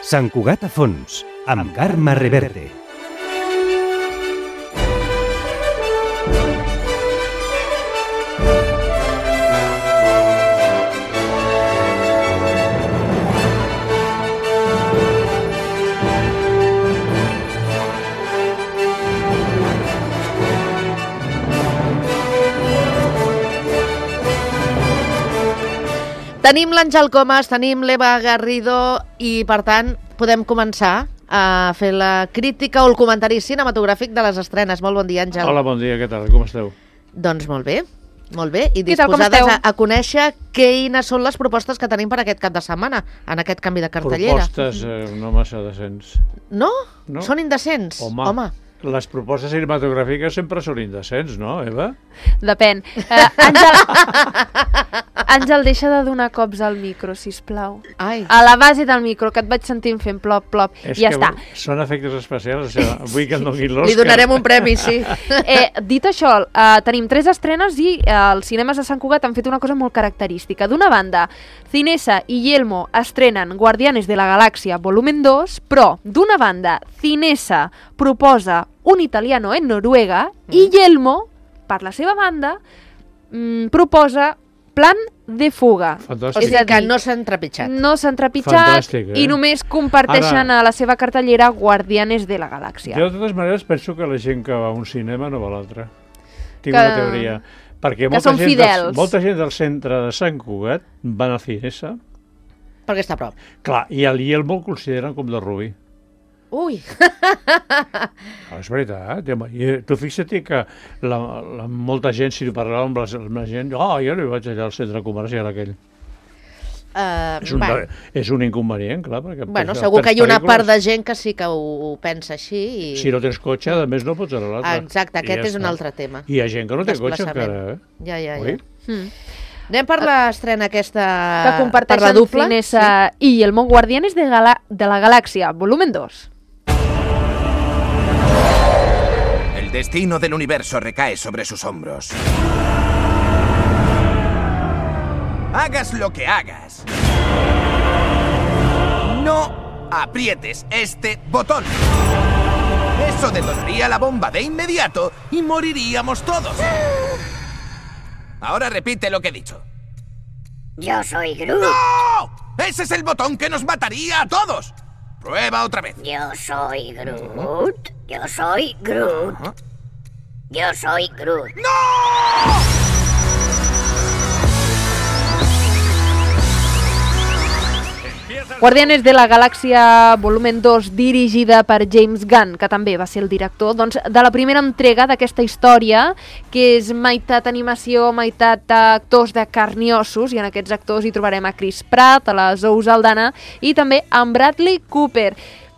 Sant Cugat a fons, amb Carme Reverte. Tenim l'Àngel Comas, tenim l'Eva Garrido i, per tant, podem començar a fer la crítica o el comentari cinematogràfic de les estrenes. Molt bon dia, Àngel. Hola, bon dia, què tal? Com esteu? Doncs molt bé, i disposades a conèixcer quines són les propostes que tenim per aquest cap de setmana, en aquest canvi de cartellera. Propostes no massa decents. No? Són indecents? Home. Les propostes cinematogràfiques sempre són indecents, no, Eva? Depèn. Àngel, deixa de donar cops al micro, sisplau. Ai. A la base del micro, que et vaig sentint fent plop, plop, i ja està. Són efectes especials, o sigui, vull que em donin l'Òscar. Li donarem un premi, sí. Dit això, tenim 3 estrenes i els cinemes de Sant Cugat han fet una cosa molt característica. D'una banda, Cinesa i Yelmo estrenen Guardianes de la Galàxia volumen 2, però, d'una banda, Cinesa proposa un italiano en Noruega i Yelmo, per la seva banda, proposa Plan de fuga. Fantàstic. És a dir, que no s'han trepitjat. No s'han trepitjat. Fantàstic, i només comparteixen a la seva cartellera Guardianes de la Galàxia. Jo, de totes maneres, penso que la gent que va a un cinema no va a l'altre. Tinc una teoria. Perquè són fidels. Molta gent del centre de Sant Cugat van a Cinesa. Perquè està a prop. Clar, i el Yelmo el consideren com de Rubí. Ui! És veritat. Tu fixa't que molta gent, si parlàvem amb la gent, jo no vaig allà al centre comercial aquell. És un inconvenient, clar. Bueno, segur que hi ha una part de gent que sí que ho pensa així. Si no tens cotxe, a més no pots anar a l'altre. Exacte, aquest és un altre tema. Hi ha gent que no té cotxe encara, Ja. Anem per l'estrena aquesta... Que comparteixen Cinesa i el Món Guardianes de la Galàxia, volumen 2. El destino del universo recae sobre sus hombros. Hagas lo que hagas, no aprietes este botón. Eso detonaría la bomba de inmediato y moriríamos todos. Ahora repite lo que he dicho. Yo soy Groot. ¡No! ¡Ese es el botón que nos mataría a todos! Prueba otra vez. Yo soy Groot. Yo soy Groot. Yo soy Groot. ¡No! Guardianes de la Galàxia volumen 2, dirigida per James Gunn, que també va ser el director de la primera entrega d'aquesta història, que és meitat animació, meitat actors de carn i ossos, i en aquests actors hi trobarem a Chris Pratt, a la Zoe Saldana i també a Bradley Cooper.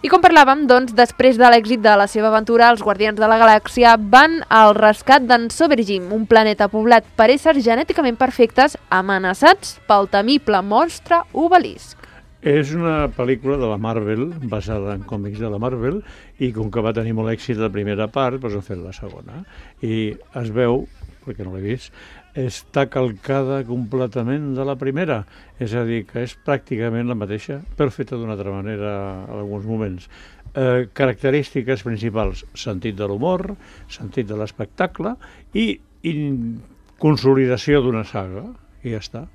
I com parlàvem, doncs, després de l'èxit de la seva aventura, els Guardians de la Galàxia van al rescat d'en Sovereign, un planeta poblat per éssers genèticament perfectes amenaçats pel temible monstre Obelisc. És una pel·lícula de la Marvel, basada en còmics de la Marvel, i com que va tenir molt èxit la primera part, doncs han fet la segona. I es veu, perquè no l'he vist, està calcada completament de la primera. És a dir, que és pràcticament la mateixa, però feta d'una altra manera en alguns moments. Característiques principals: sentit de l'humor, sentit de l'espectacle i consolidació d'una saga. I ja està.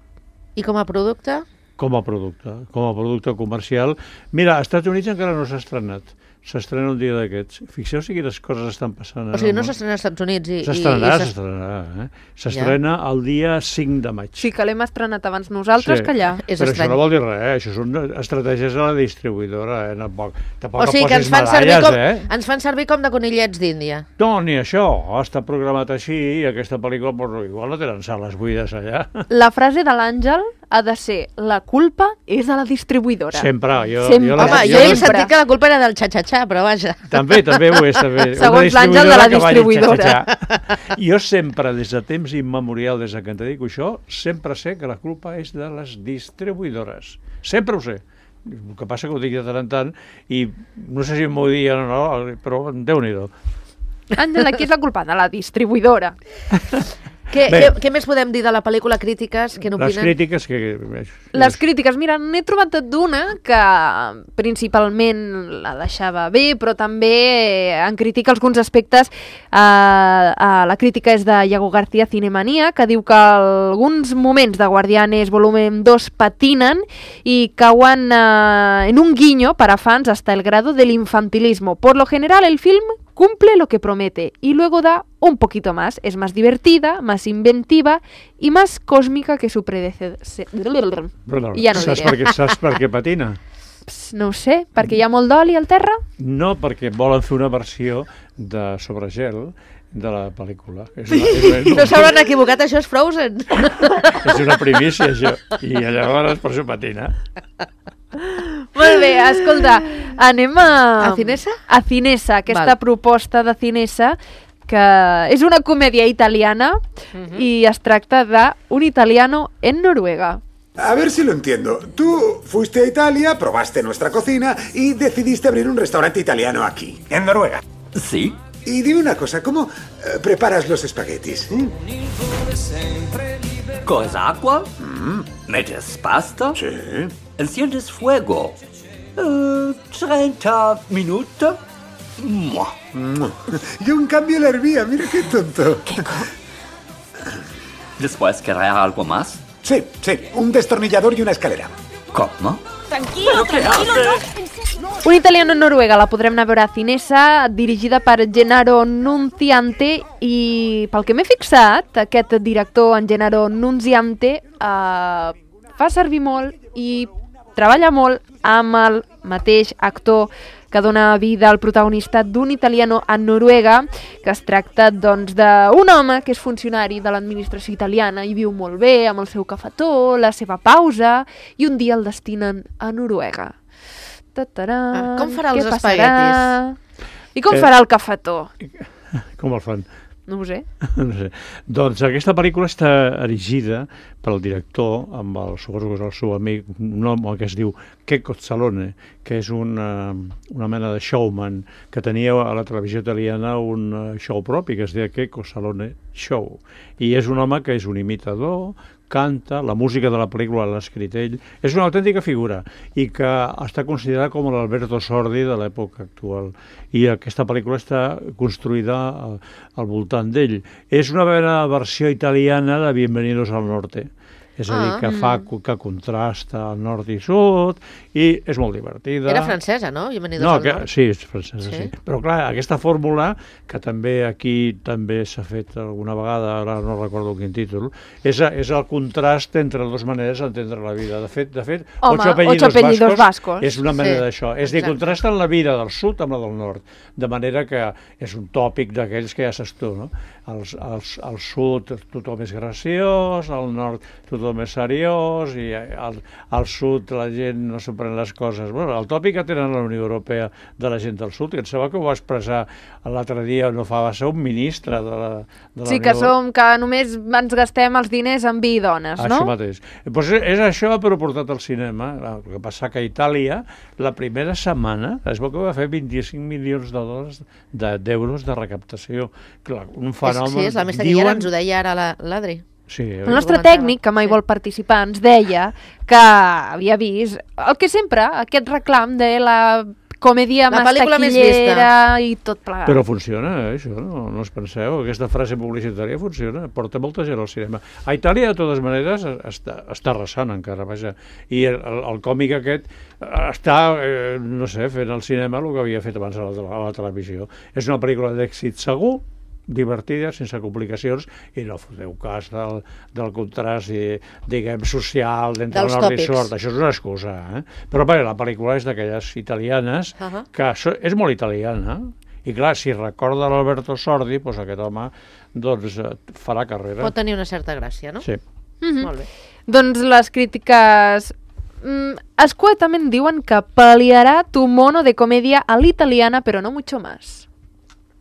I com a producte? Com a producte comercial. Mira, als Estats Units encara no s'ha estrenat. S'estrena un dia d'aquests. Fixeu-vos quines coses estan passant. O sigui, no s'estrena als Estats Units i... S'estrenarà. S'estrena el dia 5 de maig. Sí, que l'hem estrenat abans nosaltres que allà. Però això no vol dir res, això són estratègies de la distribuïdora. O sigui, que ens fan servir com de conillets d'Índia. No, ni això. Està programat així i aquesta pel·lícula, igual no tenen sales buides allà. La frase de l'Àngel ha de ser: la culpa és de la distribuïdora. Sempre. Home, jo he sentit que la culpa era del xa-xa-xa, però vaja. També ho és. Segons l'Àngel, de la distribuïdora. Jo sempre, des de temps immemorial, des que em dedico a això, sempre sé que la culpa és de les distribuïdores. Sempre ho sé. El que passa que ho dic de tant en tant i no sé si m'ho diuen o no, però Déu-n'hi-do. Àngel, aquí és la culpa de la distribuïdora. Què més podem dir de la pel·lícula? Crítiques, què n'opinen? Les crítiques que... Les crítiques, mira, n'he trobat d'una que principalment la deixava bé, però també en critica alguns aspectes. La crítica és de Iago García Cinemanía, que diu que alguns moments de Guardianes volumen 2 patinen i cauen en un guiño para fans hasta el grado del infantilismo. Por lo general, el film cumple lo que promete y luego da un poquito más. Es más divertida, más inventiva y más cósmica que su predecesor. Bueno, I ja no diré. saps per què patina? No ho sé, perquè hi ha molt d'oli al terra? No, perquè volen fer una versió de sobre gel de la pel·lícula. No s'hauran equivocat, això és Frozen. És una primícia, això. I llavors per això patina. Molt bé, escolta, anem a... A Cinesa? A Cinesa, aquesta proposta de Cinesa, que és una comèdia italiana i es tracta d'un italiano en Noruega. A ver si lo entiendo. Tú fuiste a Italia, probaste nuestra cocina y decidiste abrir un restaurante italiano aquí, en Noruega. Sí. Y dime una cosa, ¿cómo preparas los espaguetis? Coges agua, metes pasta, Sí. enciendes fuego. 30 minutos. ¡Mua! Yo en cambio la hervía, mira qué tonto. Después querrá algo más. Sí, un destornillador y una escalera. ¿Cómo? Un italiano en Noruega, la podrem anar a veure a Cinesa, dirigida per Gennaro Nunziante, i pel que m'he fixat, aquest director, en Gennaro Nunziante, fa servir molt i treballa molt amb el mateix actor que dona vida al protagonista d'un italiano en Noruega, que es tracta doncs d'un home que és funcionari de l'administració italiana i viu molt bé amb el seu cafetó, la seva pausa, i un dia el destinen a Noruega. Com farà els espaguetis? I com farà el cafetó? Com el fan? No ho sé. No sé. Doncs aquesta pel·lícula està erigida pel director, amb suposo que és el seu amic, un home que es diu Checco Zalone, que és una mena de showman que tenia a la televisió italiana un show propi que es deia Checco Zalone Show. I és un home que és un imitador, canta, la música de la pel·lícula l'ha escrit ell, és una autèntica figura i que està considerada com l'Alberto Sordi de l'època actual, i aquesta pel·lícula està construïda al voltant d'ell. És una versió italiana de Bienvenidos al Norte, és a dir, que contrasta el nord i sud, i és molt divertida. Era francesa, no? Bienvenidos al Nord. Sí, és francesa, sí. Però clar, aquesta fórmula, que també aquí també s'ha fet alguna vegada, ara no recordo quin títol, és el contrast entre dues maneres d'entendre la vida. De fet, Home, Ocho apellidos vascos és una manera d'això. És dir, contrasten la vida del sud amb la del nord, de manera que és un tòpic d'aquells que ja saps tu, no? Al sud tothom és graciós, al nord tothom és seriós, i al sud la gent no s'ho pren les coses. Bueno, el tòpic que tenen la Unió Europea de la gent del sud, que em sembla que ho va expressar l'altre dia, no fa, va ser un ministre de la sí, que només ens gastem els diners en vi i dones, no? Això mateix. Pues és això, però portat al cinema. El que passa que a Itàlia, la primera setmana, es veu que va fer 25 milions d'euros de recaptació. Clar, un fenomen... Sí, és la més taquillera, ens ho deia ara l'Adri. Sí, el nostre tècnic, que mai vol participar, ens deia que havia vist el que sempre, aquest reclam de la comèdia més taquillera i tot plegat. Però funciona, això, no us penseu? Aquesta frase publicitària funciona, porta molta gent al cinema. A Itàlia, de totes maneres, està arrasant encara, vaja. I el còmic aquest està, no sé, fent al cinema el que havia fet abans a la televisió. És una pel·lícula d'èxit segur, divertida, sense complicacions, i no foteu cas del contrast, diguem, social, d'entre nord i sud. Això és una excusa, Però bé, la pel·lícula és d'aquelles italianes, que és molt italiana, i clar, si recorda l'Alberto Sordi, doncs aquest home farà carrera. Pot tenir una certa gràcia, no? Sí. Molt bé. Doncs les crítiques escuetamente diuen que paliará tu mono de comedia a l'italiana, però no mucho más.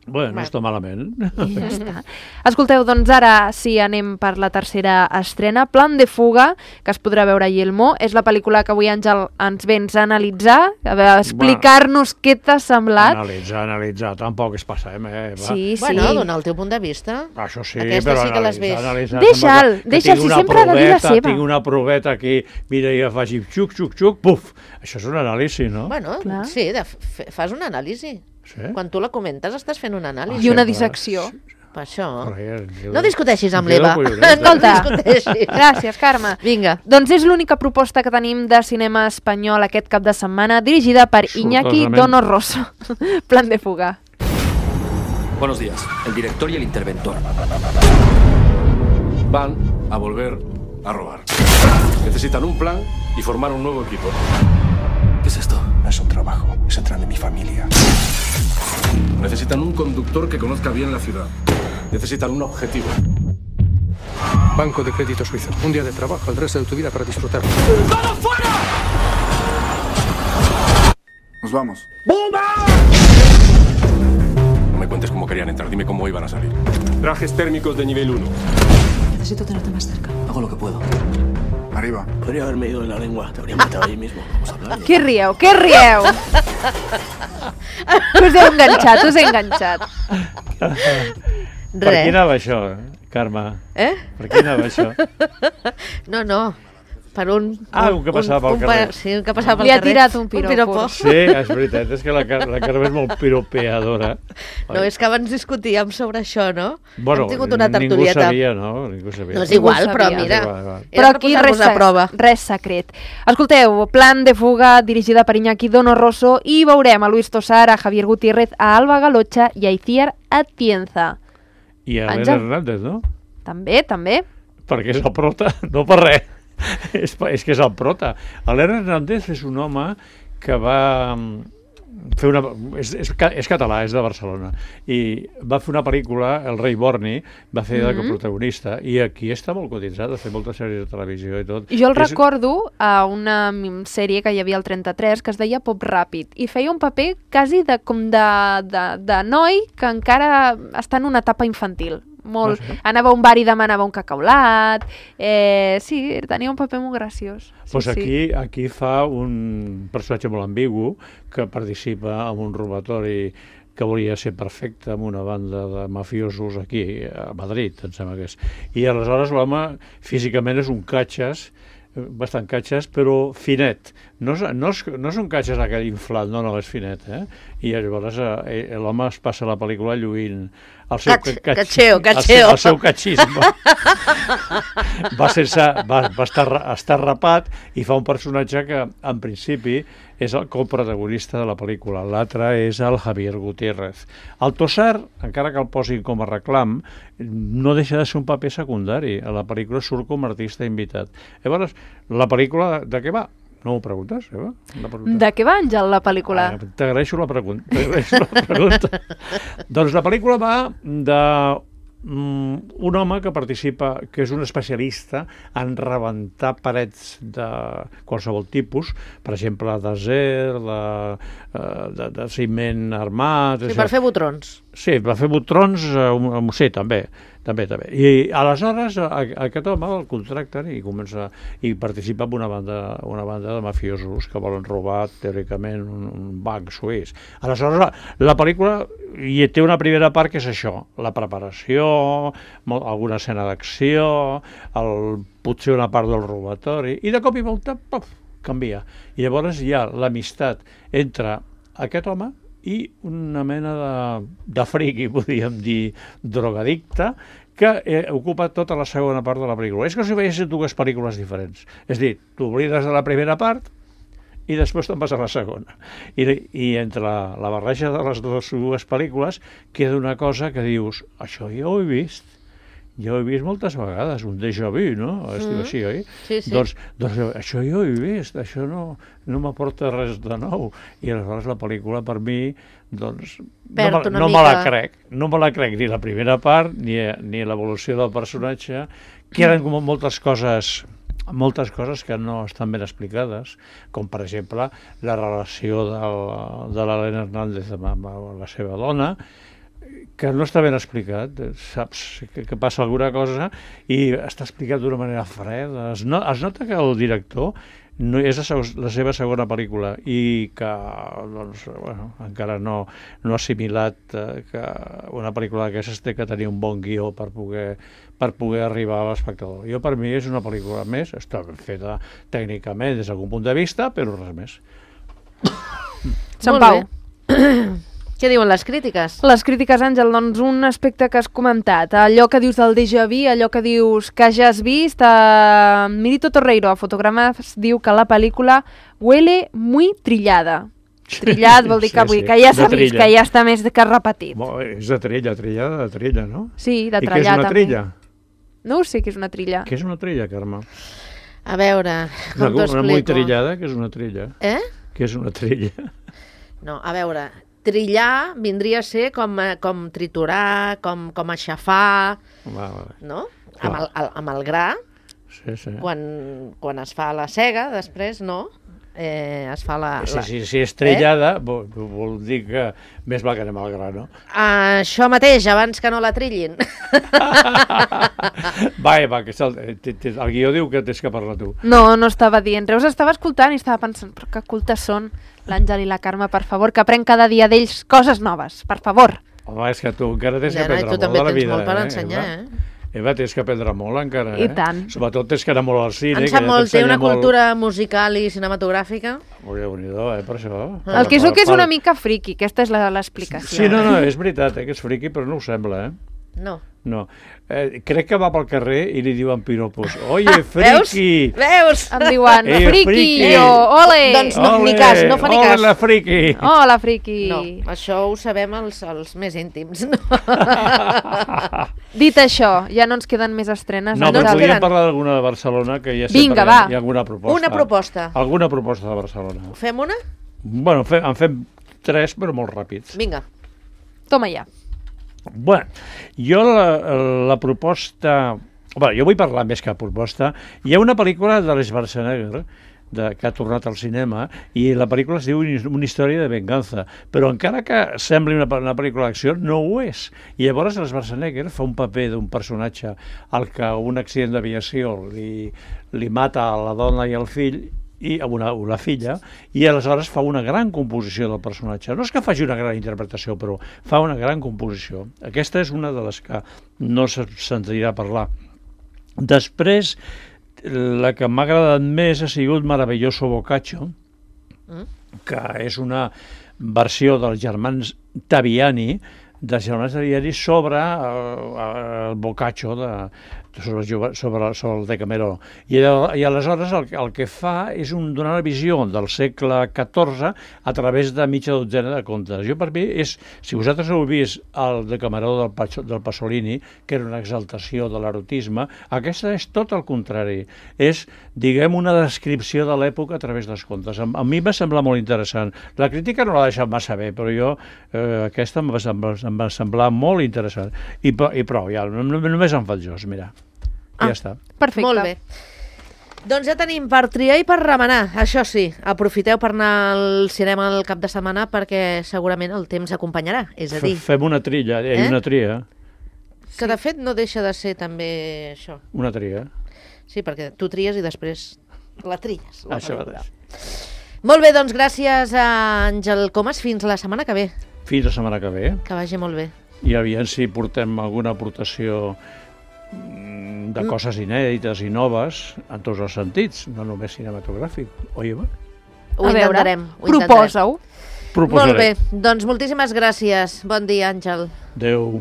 Bueno, no està malament. I ja està. Escolteu, doncs ara sí anem per la tercera estrena, Plan de fuga, que es podrà veure a Yelmo. És la pel·lícula que avui, Àngel, ens vens a analitzar, a explicar-nos què t'ha semblat. Analitzar, tampoc es passem, va. Sí, sí. Bueno, donar el teu punt de vista. Això sí, Aquesta però sí que les ves. Deixa'l, si sempre ha de dir la seva. Tinc una proveta aquí, mira, ja faig xuc, xuc, xuc, puf. Això és un anàlisi, no? Bueno, Clar. sí, fas una anàlisi. Sí? Quan tu la comentes estàs fent una anàlisi. I una clar. dissecció. Per això. Però No discuteixis amb em quedo l'Eva. colloneta. Escolta. No discuteixis. Gràcies, Carme. Vinga. Doncs és l'única proposta que tenim de cinema espanyol aquest cap de setmana, dirigida per Iñaki Sortosament. Donoso. Plan de fuga. Buenos días, el director y el interventor. Van a volver a robar. Necesitan un plan y formar un nuevo equipo. ¿Qué es esto? No es un trabajo, es el tren de mi familia. Necesitan un conductor que conozca bien la ciudad. Necesitan un objetivo. Banco de crédito suizo. Un día de trabajo, el resto de tu vida para disfrutarlo. ¡Vamos fuera! Nos vamos. No me cuentes cómo querían entrar, dime cómo iban a salir. Trajes térmicos de nivel 1. Necesito tenerte más cerca. Hago lo que puedo. Arriba. Podría haberme ido en la lengua, te habría matado ahí mismo. Vamos a hablar. Què rieu? Què rieu? Us he enganxat. Per qui anava això, Carme? Per qui anava això? No. Per un... un que passava pel carrer. Sí, un que passava pel Li ha carrer. tirat un piropo. Sí, és veritat, és que la Carme és molt piropeadora. No, és que abans discutíem sobre això, no? Bueno, Hem tingut una ningú tertulieta. sabia, no? Ningú sabia. No és igual, Ningú però sabia. mira, Igual. Però era per aquí posar-vos a prova. res secret. Escolteu, Plan de fuga, dirigida per Iñaki Donoso, i veurem a Luis Tosar, a Javier Gutiérrez, a Alba Galocha i a Itziar Atienza. I a Àngel. Elena Hernández, no? També. Perquè és el prota, no per res. És que és el prota. Elena Hernández és un home que va fer una... És català, és de Barcelona, i va fer una pel·lícula, El rei Borni, va fer de coprotagonista, i aquí està molt cotitzat, ha fet moltes sèries de televisió i tot. Jo el recordo a una sèrie que hi havia al 33 que es deia Pop Ràpid, i feia un paper quasi de noi que encara està en una etapa infantil. Molt. Sí. Anava a un bar i demanava un cacaulat. Sí, tenia un paper molt graciós. Pues aquí fa un personatge molt ambigu que participa en un robatori que volia ser perfecte amb una banda de mafiosos aquí a Madrid, em sembla que és. I aleshores l'home físicament és un catxes, bastant catxes, però finet. No és un catxes aquell inflat, no, és finet, I llavors l'home es passa la pel·lícula lluint el seu catxeo. El seu catxisme. Va estar rapat i fa un personatge que, en principi, és el coprotagonista de la pel·lícula. L'altre és el Javier Gutiérrez. El Tosar, encara que el posin com a reclam, no deixa de ser un paper secundari. A la pel·lícula surt com a artista invitat. Llavors, la pel·lícula de què va? No m'ho preguntes, Eva? De què va, Àngel, la pel·lícula? T'agraeixo la pregunta. Doncs la pel·lícula va d'un home que participa, que és un especialista en rebentar parets de qualsevol tipus, per exemple, d'acer, de ciment armat... Sí, per fer botrons. Sí, per fer botrons, sí, també. I aleshores aquest home el contracten i participa en una banda de mafiosos que volen robar teòricament un banc suís. Aleshores la pel·lícula hi té una primera part que és això, la preparació, alguna escena d'acció, potser una part del robatori, i de cop i volta canvia. I llavors hi ha l'amistat entre aquest home i una mena de friqui, podríem dir, drogadicte, que ocupa tota la segona part de la pel·lícula. És com si veiessin dues pel·lícules diferents. És a dir, t'oblides de la primera part i després te'n vas a la segona. I entre la barreja de les dues pel·lícules queda una cosa que dius, això ja ho he vist. Ja ho he vist moltes vegades, un déjà vu, no? Es diu així, oi? Sí. Doncs això ja ho he vist, això no m'aporta res de nou. I aleshores la pel·lícula, per mi, doncs, no me la crec. No me la crec ni la primera part, ni l'evolució del personatge. Queden com moltes coses que no estan ben explicades, com per exemple la relació de l'Elena Hernández amb la seva dona, que no està ben explicat, saps que passa alguna cosa i està explicat d'una manera freda. Es nota que el director és la seva segona pel·lícula i que doncs, bueno, encara no ha assimilat que una pel·lícula d'aquestes té que tenir un bon guió per poder arribar a l'espectador. Per mi és una pel·lícula més, està ben feta tècnicament des d'algun punt de vista, però res més. Sant Pau. Què diuen les crítiques? Les crítiques, Àngel, doncs un aspecte que has comentat, allò que dius del déjà vu, allò que dius que ja has vist, Mirito Torreiro, a Fotogrames, diu que la pel·lícula huele muy trillada. Trillat vol dir que ja s'ha vist, que ja està més que repetit. És de trilla, no? Sí, de trellar també. I què és una trilla? No ho sé què és una trilla. Què és una trilla, Carme? A veure, com t'ho explico? Una molt trillada, què és una trilla? Què és una trilla? No, a veure, trillar vindria a ser com triturar, com aixafar, no? Amb el gra, quan es fa la sega, després, no? Es fa la... Si és trillada, vol dir que més val que anem al gra, no? Això mateix, abans que no la trillin. Va, que el guió diu que tens que parlar tu. No estava dient res, estava escoltant i estava pensant, però que cultes són l'Àngel i la Carme, per favor, que aprenc cada dia d'ells coses noves, per favor. Home, és que tu encara tens que aprendre molt de la vida. Tu també tens molt per ensenyar, Eva, tens que aprendre molt encara, I tant. Sobretot tens que anar molt al cine. En sap molt, té una cultura musical i cinematogràfica. Déu-n'hi-do, per això. El que és una mica friqui, aquesta és l'explicació. Sí, no, és veritat, que és friqui, però no ho sembla, No. Crec que va pel carrer i li diuen piropos. Oye, friqui! Veus? Em diuen friqui o ole! Doncs no ni cas, no fa ni cas. Hola, friqui! Hola, friqui! No, això ho sabem els més íntims. Dit això, ja no ens queden més estrenes. No, però podríem parlar d'alguna de Barcelona, que ja sempre hi ha alguna proposta. Una proposta. Alguna proposta de Barcelona. Fem una? Bueno, en fem 3, però molt ràpids. Vinga. Toma ja. Bueno, jo la proposta... Bé, jo vull parlar més que proposta. Hi ha una pel·lícula de l'Schwarzenegger que ha tornat al cinema i la pel·lícula es diu Una història de venganza, però encara que sembli una pel·lícula d'acció, no ho és. I llavors l'Schwarzenegger fa un paper d'un personatge al que un accident d'aviació li mata a la dona i al fill i a una filla, i aleshores fa una gran composició del personatge. No és que faci una gran interpretació, però fa una gran composició. Aquesta és una de les que no se sentirà parlar. Després, la que m'ha agradat més ha sigut Maravilloso Boccaccio, que és una versió dels germans Taviani, sobre el Boccaccio sobre el Decameró. I aleshores el que fa és donar una visió del segle XIV a través de mitja dotzena de contes. Jo, per mi, si vosaltres heu vist el Decameró del Pasolini, que era una exaltació de l'erotisme, aquesta és tot el contrari. És, diguem, una descripció de l'època a través dels contes. A mi va semblar molt interessant. La crítica no l'ha deixat massa bé, però jo aquesta em va semblar molt interessant. I prou, ja, només em faig jos, mira. Ja està. Perfecte. Molt bé. Doncs ja tenim per triar i per remenar. Això sí, aprofiteu per anar al cinema el cap de setmana perquè segurament el temps acompanyarà. És a dir... Fem una trilla, una tria. Que de fet no deixa de ser també això. Una tria. Sí, perquè tu tries i després la tries. Això mateix. Molt bé, doncs gràcies a Àngel Comas. Fins la setmana que ve. Fins la setmana que ve. Que vagi molt bé. I aviam si portem alguna aportació de coses inèdites i noves en tots els sentits, no només cinematogràfic. Oi, Eva? Ho intentarem. Proposa-ho. Molt bé, doncs moltíssimes gràcies. Bon dia, Àngel. Adéu.